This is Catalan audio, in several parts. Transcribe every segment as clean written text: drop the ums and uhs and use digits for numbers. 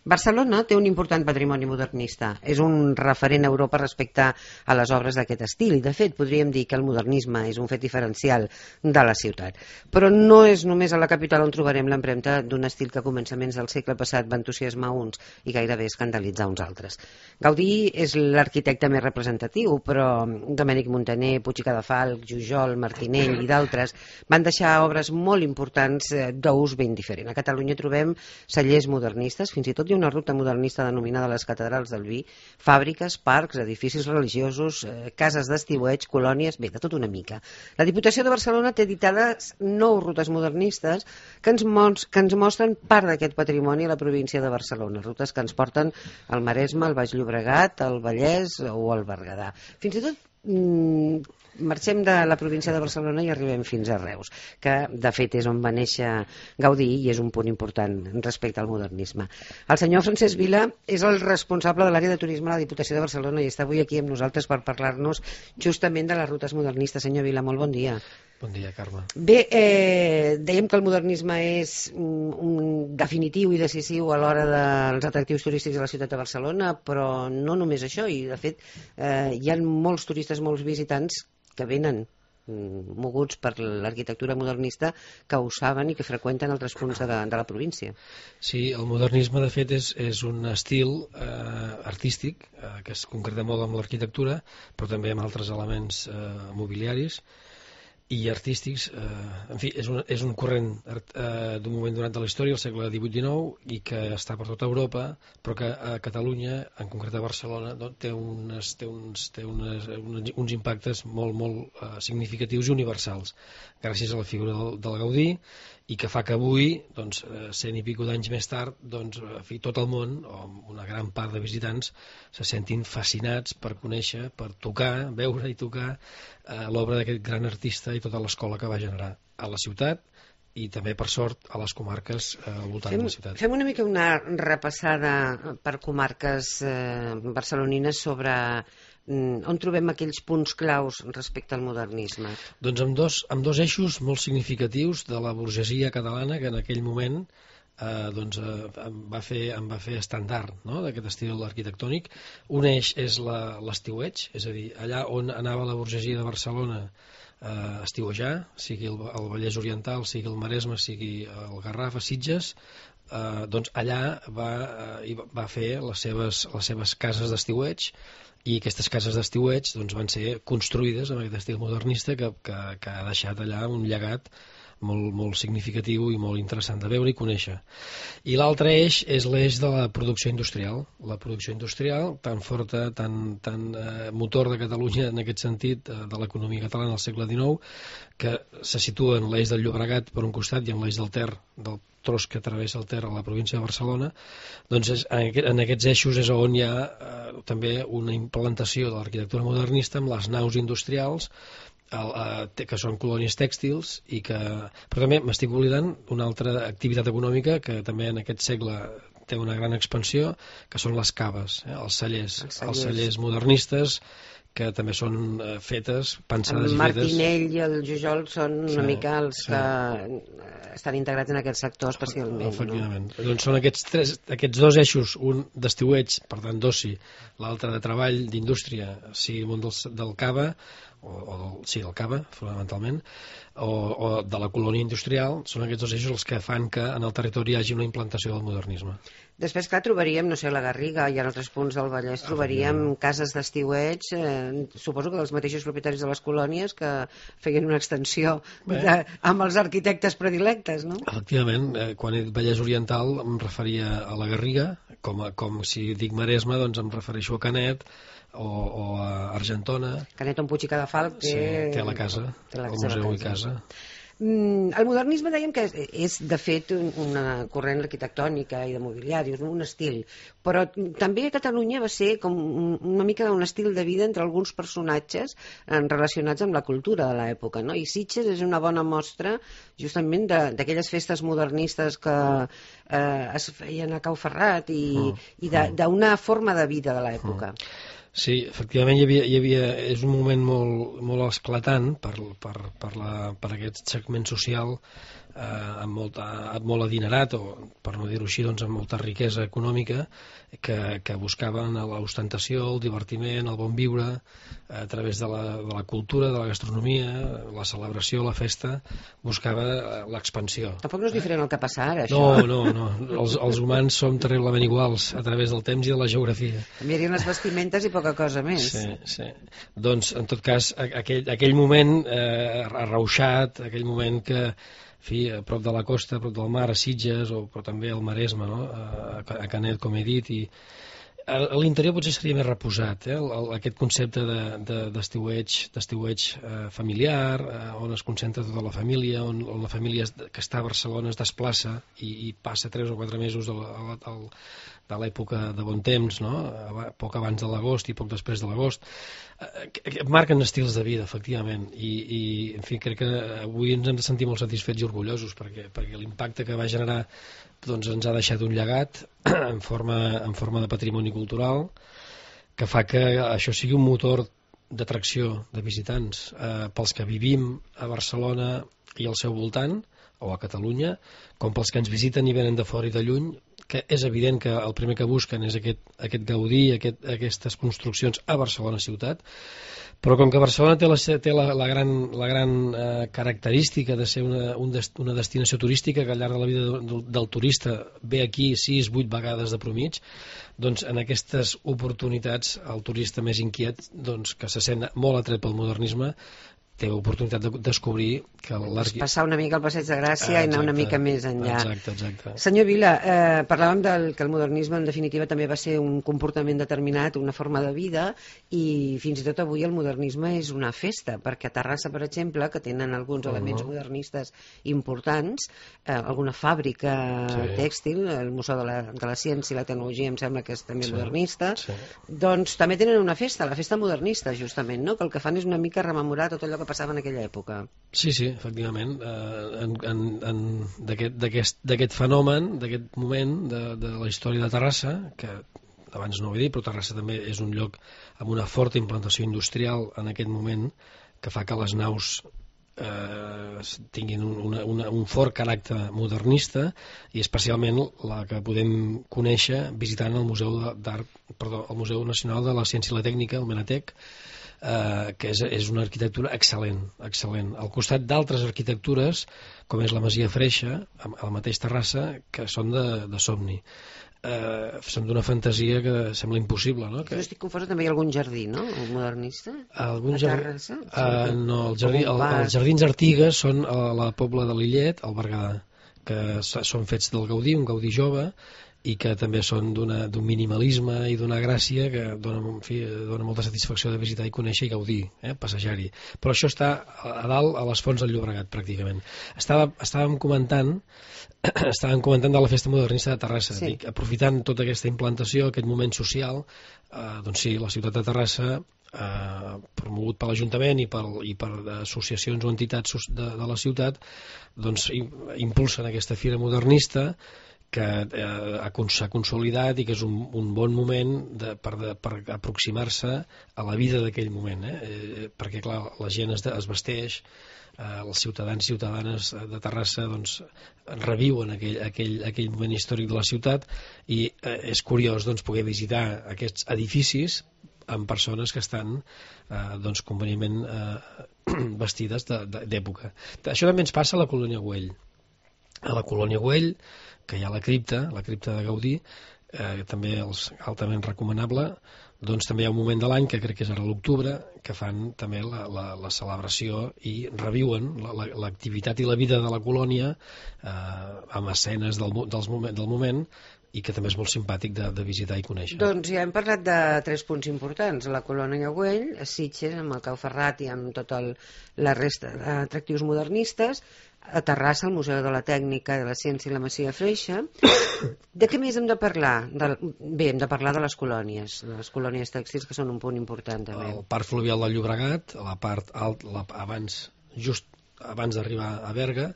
Barcelona té un important patrimoni modernista. És un referent a Europa respecte a les obres d'aquest estil i, de fet, podríem dir que el modernisme és un fet diferencial de la ciutat. Però no és només a la capital on trobarem l'empremta d'un estil que a començaments del segle passat va entusiasmar uns i gairebé escandalitzar uns altres. Gaudí és l'arquitecte més representatiu, però Domènec Montaner, Puig i Cadafalch, Jujol, Martinell i d'altres van deixar obres molt importants d'ús ben diferent. A Catalunya trobem cellers modernistes, fins i tot una ruta modernista denominada les catedrals del vi, fàbriques, parcs, edificis religiosos, cases d'estiueig, colònies, bé, de tot una mica. La Diputació de Barcelona té editades 9 rutes modernistes que ens mostren part d'aquest patrimoni a la província de Barcelona, rutes que ens porten al Maresme, al Baix Llobregat, al Vallès o al Berguedà. Fins i tot marxem de la província de Barcelona i arribem fins a Reus, que de fet és on va néixer Gaudí i és un punt important respecte al modernisme. El senyor Francesc Vila és el responsable de l'àrea de turisme a la Diputació de Barcelona i està avui aquí amb nosaltres per parlar-nos justament de les rutes modernistes. Senyor Vila, molt bon dia. Bon dia, Carme. Bé, dèiem que el modernisme és un definitiu i decisiu a l'hora dels atractius turístics de la ciutat de Barcelona, però no només això, i de fet hi ha molts turistes, molts visitants que venen moguts per l'arquitectura modernista, que ho saben i que freqüenten altres punts de la província. Sí, el modernisme de fet és un estil artístic que es concreta molt amb l'arquitectura, però també amb altres elements mobiliaris i artístics. En fi, és un corrent d'un moment donat de la història, el segle XVIII-XIX, i que està per tota Europa, però que a Catalunya, en concret a Barcelona, té uns impactes molt significatius i universals, gràcies a la figura del Gaudí, i que fa que avui, 100 i pico d'anys més tard, tot el món, o una gran part de visitants, se sentin fascinats per conèixer, per tocar, veure i tocar l'obra d'aquest gran artista i tota l'escola que va generar a la ciutat i també, per sort, a les comarques al voltant de la ciutat. Fem una mica una repassada per comarques barcelonines sobre on trobem aquells punts claus respecte al modernisme. Doncs amb dos eixos molt significatius de la burgesia catalana que en aquell moment em va fer estàndard, no?, d'aquest estil arquitectònic. Un eix és l'estiueig, és a dir, allà on anava la burgesia de Barcelona a estiuejar, sigui el Vallès Oriental, sigui el Maresme, sigui el Garraf, a Sitges, allà va fer les seves cases d'estiueig, i aquestes cases d'estiueig van ser construïdes amb aquest estil modernista que ha deixat allà un llegat molt significatiu i molt interessant de veure i conèixer. I l'altre eix és l'eix de la producció industrial. La producció industrial, tan forta, tan motor de Catalunya en aquest sentit, de l'economia catalana al segle XIX, que se situa en l'eix del Llobregat per un costat i en l'eix del Ter, del tros que travessa el Ter a la província de Barcelona. Doncs en aquests eixos és on hi ha també una implantació de l'arquitectura modernista amb les naus industrials, que són colònies tèxtils, però també m'estic oblidant una altra activitat econòmica que també en aquest segle té una gran expansió, que són les caves, els cellers modernistes, que també són fetes, pensades i fetes. El Martinell i el Jujol són una mica els que estan integrats en aquest sector especialment. Efectivament. Doncs són aquests dos eixos, un d'estiueig, per tant d'oci, l'altre de treball, d'indústria, sigui el món del cava, del cava, fonamentalment, o de la colònia industrial, són aquests dos eixos els que fan que en el territori hi hagi una implantació del modernisme. Després, clar, trobaríem, no sé, a la Garriga i en altres punts del Vallès, trobaríem cases d'estiueig, suposo que dels mateixos propietaris de les colònies que feien una extensió amb els arquitectes predilectes, no? Efectivament, quan he dit Vallès Oriental em referia a la Garriga, com si dic Maresme, doncs em refereixo a Canet o a Argentona. Canet on Puig i Cadafalch té la casa, el museu i casa. El modernisme dèiem que és de fet una corrent arquitectònica i de mobiliari, un estil, però també a Catalunya va ser com una mica un estil de vida entre alguns personatges relacionats amb la cultura de l'època, no? I Sitges és una bona mostra justament d'aquelles festes modernistes que es feien a Cau Ferrat i d'una forma de vida de l'època. Sí, efectivament és un moment molt esclatant per aquest segment social molt adinerat, o per no dir-ho així, doncs, amb molta riquesa econòmica, que buscaven l'ostentació, el divertiment, el bon viure, a través de la cultura, de la gastronomia, la celebració, la festa, buscava l'expansió. Tampoc no és diferent el que passa ara, això. No. Els humans som terriblement iguals a través del temps i de la geografia. Canviarien les vestimentes i poca cosa més. Sí. Doncs, en tot cas, aquell moment arrauxat, aquell moment que, en fi, a prop de la costa, a prop del mar, a Sitges, però també al Maresme, no? A Canet, com he dit, i a l'interior potser seria més reposat, aquest concepte d'estiueig familiar, on es concentra tota la família, on la família que està a Barcelona es desplaça i passa 3 o 4 mesos de l'època de bon temps, no? Poc abans de l'agost i poc després de l'agost, marquen estils de vida, efectivament, i en fi, crec que avui ens hem de sentir molt satisfets i orgullosos perquè l'impacte que va generar doncs ens ha deixat un llegat en forma de patrimoni cultural que fa que això sigui un motor d'atracció de visitants pels que vivim a Barcelona i al seu voltant, o a Catalunya, com pels que ens visiten i venen de fora i de lluny, que és evident que el primer que busquen és aquest gaudir, aquestes construccions a Barcelona ciutat, però com que Barcelona té la gran característica de ser una destinació turística que al llarg de la vida del turista ve aquí 6-8 vegades de promig, doncs en aquestes oportunitats el turista més inquiet, doncs, que se sent molt atret pel modernisme, té oportunitat de descobrir que passar una mica al Passeig de Gràcia i anar una mica més enllà. Exacte. Senyor Vila, parlàvem que el modernisme en definitiva també va ser un comportament determinat, una forma de vida, i fins i tot avui el modernisme és una festa, perquè a Terrassa, per exemple, que tenen alguns elements modernistes importants, alguna fàbrica tèxtil, el Museu de la Ciència i la Tecnologia em sembla que és també modernista, doncs també tenen una festa, la festa modernista justament, no? Que el que fan és una mica rememorar tot allò que passava en aquella època. Sí, efectivament. D'aquest fenomen, d'aquest moment de la història de Terrassa, que abans no ho he dit, però Terrassa també és un lloc amb una forta implantació industrial en aquest moment, que fa que les naus tinguin un fort caràcter modernista, i especialment la que podem conèixer visitant el Museu Nacional de la Ciència i la Tècnica, el Menatec, que és una arquitectura excel·lent. Al costat d'altres arquitectures, com és la Masia Freixa, al mateix Terrassa, que són de somni. Són d'una fantasia que sembla impossible, no? Jo estic confosa, també hi ha algun jardí, no? Modernista? Algun jardí? No, els jardins Artigas són a la Pobla de Lillet, al Berguedà, que són fets del Gaudí, un Gaudí jove, i que també són d'un minimalisme i d'una gràcia que dona molta satisfacció de visitar i conèixer i gaudir, passejar-hi. Però això està a dalt, a les fonts del Llobregat, pràcticament. Estàvem comentant de la Festa Modernista de Terrassa. Sí. Dic, aprofitant tota aquesta implantació, aquest moment social, doncs sí, la ciutat de Terrassa, promogut per l'Ajuntament i per associacions o entitats de la ciutat, doncs impulsen aquesta fira modernista que s'ha consolidat i que és un bon moment per aproximar-se a la vida d'aquell moment, perquè clar, la gent es vesteix, els ciutadans i ciutadanes de Terrassa doncs, reviuen aquell moment històric de la ciutat, i és curiós doncs, poder visitar aquests edificis amb persones que estan convenientment vestides d'època. Això també ens passa a la Colònia Güell. A la Colònia Güell, que hi ha la cripta de Gaudí, també és altament recomanable, doncs també hi ha un moment de l'any, que crec que és ara l'octubre, que fan també la celebració i reviuen l'activitat i la vida de la colònia amb escenes del moment, i que també és molt simpàtic de visitar i conèixer. Doncs ja hem parlat de 3 punts importants: la Colònia Güell, a Sitges, amb el Cau Ferrat i amb tota la resta d'atractius modernistes, a Terrassa, al Museu de la Tècnica, de la Ciència i la Masia Freixa. De què més hem de parlar? Bé, hem de parlar de les colònies tèxtils, que són un punt important també. El Parc Fluvial del Llobregat, a la part alta, just abans d'arribar a Berga,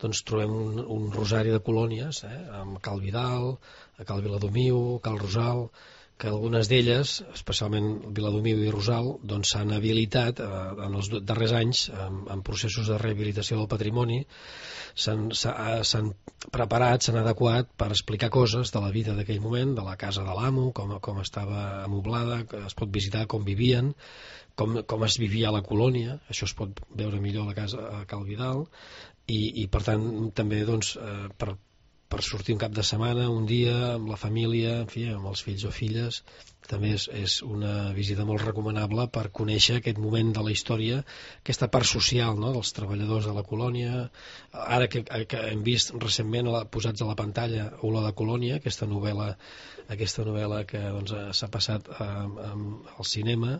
doncs trobem un rosari de colònies, amb Cal Vidal, Cal Viladomiu, Cal Rosal, que algunes d'elles, especialment Viladomiu i Rosal, doncs s'han habilitat en els darrers anys en processos de rehabilitació del patrimoni, s'han preparat, s'han adequat per explicar coses de la vida d'aquell moment, de la casa de l'amo, com estava amoblada, que es pot visitar com vivien, com es vivia a la colònia, això es pot veure millor a la casa a Cal Vidal, i per tant també doncs, per sortir un cap de setmana, un dia, amb la família, en fi, amb els fills o filles, també és una visita molt recomanable per conèixer aquest moment de la història, aquesta part social, no?, dels treballadors de la colònia. Ara que hem vist recentment posats a la pantalla Olor de Colònia, aquesta novel·la que doncs, s'ha passat al cinema,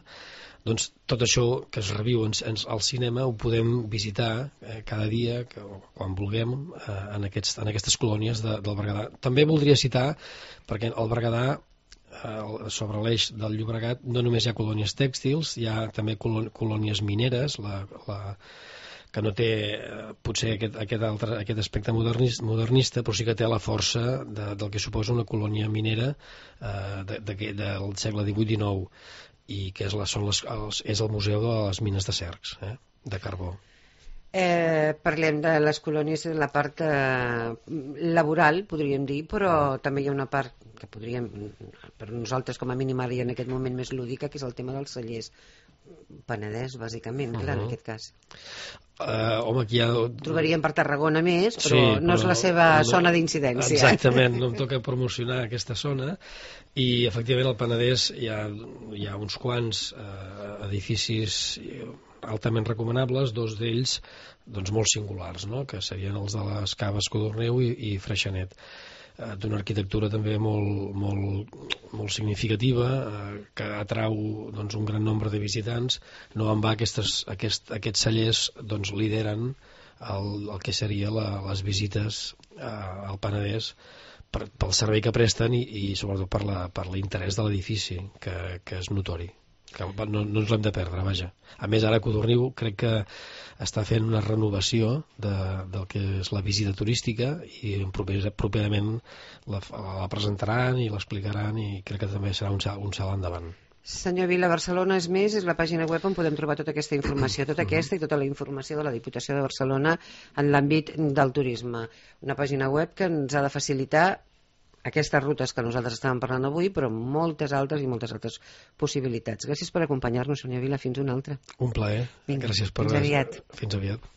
doncs tot això que es reviu al cinema ho podem visitar cada dia, quan vulguem, en aquestes colònies del Berguedà. També voldria citar, perquè al Berguedà, sobre l'eix del Llobregat, no només hi ha colònies tèxtils, hi ha també colònies mineres, que no té potser aquest aspecte modernista, però sí que té la força del que suposa una colònia minera del segle XVIII-XIX, i que és el Museu de les Mines de Cercs, de carbó. Parlem de les colònies de la part laboral, podríem dir, però també hi ha una part que podríem, per nosaltres com a mínim ara i en aquest moment més lúdica, que és el tema dels cellers. Penedès, bàsicament, clar, en aquest cas. Home, aquí trobaríem per Tarragona més, però no és la seva zona d'incidència. Exactament, no em toca promocionar aquesta zona, i efectivament al Penedès hi ha uns quants edificis altament recomanables, dos d'ells doncs molt singulars, no?, que serien els de les Caves Codorneu i Freixenet, d'una arquitectura també molt significativa, que atrau doncs, un gran nombre de visitants. No en va, aquests cellers doncs, lideren el que seria les visites al Penedès pel servei que presten i sobretot per l'interès de l'edifici, que és notori, que no ens l'hem de perdre, vaja. A més, ara Codorniu crec que està fent una renovació del que és la visita turística, i properament la presentaran i l'explicaran, i crec que també serà un salt endavant. Senyor Vila, Barcelona és més, és la pàgina web on podem trobar tota aquesta informació, tota aquesta i tota la informació de la Diputació de Barcelona en l'àmbit del turisme. Una pàgina web que ens ha de facilitar aquestes rutes que nosaltres estàvem parlant avui, però moltes altres i moltes altres possibilitats. Gràcies per acompanyar-nos, senyor Vila, fins una altra. Un plaer. Vinga, gràcies fins aviat. Fins aviat.